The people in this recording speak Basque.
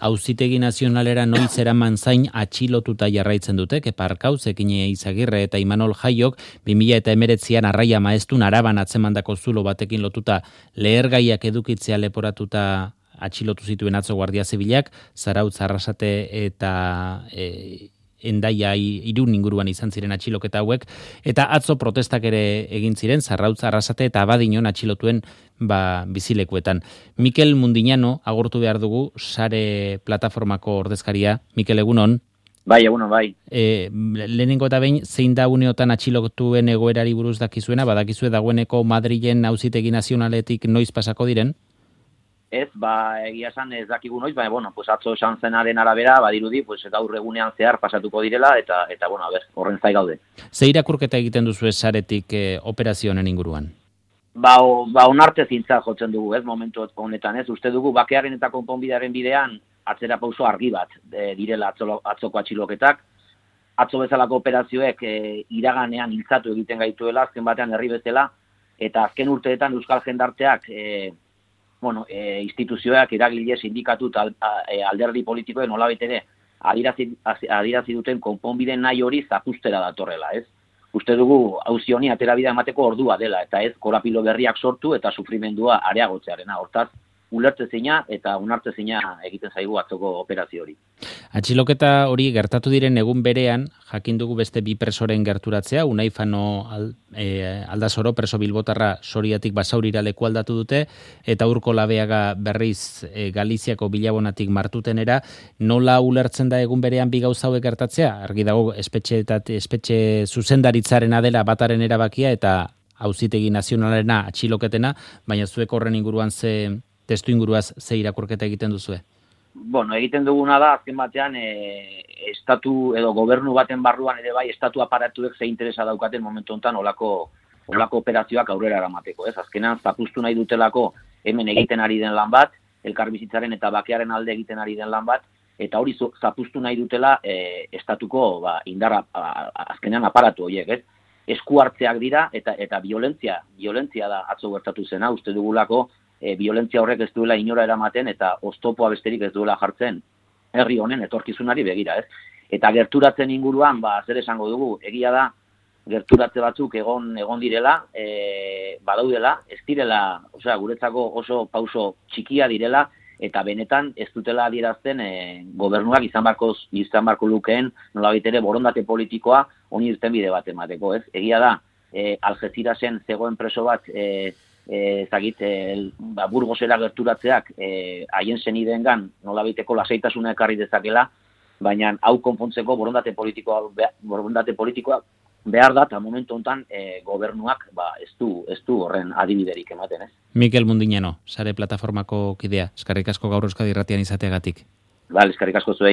Auzitegi Nazionalera noiz eraman zain atxilotuta jarraitzen dute, Kepa Arkauz, Ekine Izagirre eta Imanol Jaiok 2019an Arraia Maeztun Araban atzemandako zulo batekin lotuta lehergaiak edukitzea leporatuta atxilotu zituen atzo Guardia Zibilak, Zarautz, Arrasate eta Hendaia Irun inguruan izan ziren atxiloketa hauek, eta atzo protestak ere egin ziren, Zarautz, Arrasate eta Abadiñon atxilotuen bizilekuetan. Mikel Mundiñano agortu behar dugu, Sare plataformako ordezkaria. Mikel, egunon? Bai, egunon, bai. Lehenengo eta behin, zein da uneotan atxilotuen egoerari buruz dakizuena, badakizue dagoeneko Madrilen Auzitegi Nazionaletik noiz pasako diren? Ez, egia esan ez dakigu noiz, baina, atzo esan zenaren arabera, badirudi, gaur egunean zehar pasatuko direla, eta horren zai gaude. Ze irakurketa egiten duzu Saretik operazio honen inguruan? Onarte zintza jotzen dugu, ez, momentu honetan, ez, uste dugu, bakearen eta konponbidearen bidean, atzera pauso argi bat direla atzoko atxiloketak, atzo bezalako operazioek iraganean hiltzatu egiten gaituela, azken batean herri bezala, eta azken urteetan Euskal Jendarteak, instituzioak, eragile, sindikatu eta alderdi politikoen nolabait ere adierazi duten konponbide nahi hori zapustera datorrela, ez? Uste dugu auzi honi aterabidea emateko ordua dela, eta ez korapilo berriak sortu eta sufrimendua areagotzearena. Hortaz, ulertezina eta onartezina egiten zaigu atzoko operazio hori. Atxiloketa hori gertatu diren egun berean, jakin dugu beste bi presoren gerturatzea, Unai Fano Aldasoro, preso bilbotarra Soriatik Basaurira leku aldatu dute, eta Urko Labeaga berriz Galiziako Bilabonatik Martutenera. Nola ulertzen da egun berean bi gauza hauek gertatzea? Argi dago espetxe zuzendaritzarena dela bataren erabakia eta Auzitegi Nazionalena atxiloketena, baina zuek horren inguruan testu inguruaz ze irakurketa egiten duzue? Egiten duguna da, azken batean, estatu edo gobernu baten barruan ere bai, estatu aparatuek ze interesa daukaten momentu honetan olako operazioak aurrera eramateko, ez? Azkenan, zapustu nahi dutelako hemen egiten ari den lan bat, elkarbizitzaren eta bakearen alde egiten ari den lan bat, eta hori zapustu nahi dutela estatuko indarra, azkenean aparatu horiek, ez? Esku hartzeak dira eta violentzia da atzo gertatu zena, uste dugulako violentzia horrek ez duela inora eramaten eta oztopoa besterik ez duela jartzen herri honen etorkizunari begira, ez? Eta gerturatzen inguruan, zer esango dugu, egia da, gerturatze batzuk egon direla, badaudela, ez direla, guretzako oso pauso txikia direla, eta benetan ez dutela adierazten gobernuak izan barko lukeen nolabait ere borondate politikoa honi irtenbide bat emateko, ez? Egia da, Algecirasen zegoen preso bat Burgosera gerturatzeak haien senideengan nolabaiteko lasaitasuna ekarri dezakela, baina hau konpontzeko borondate politikoa behar da, eta momentu honetan gobernuak ez du horren adibiderik ematen, ez? Mikel Mundiñano, Sare plataformako kidea, eskerrik asko gaur Euskadi Irratian izateagatik. Eskerrik asko zuei.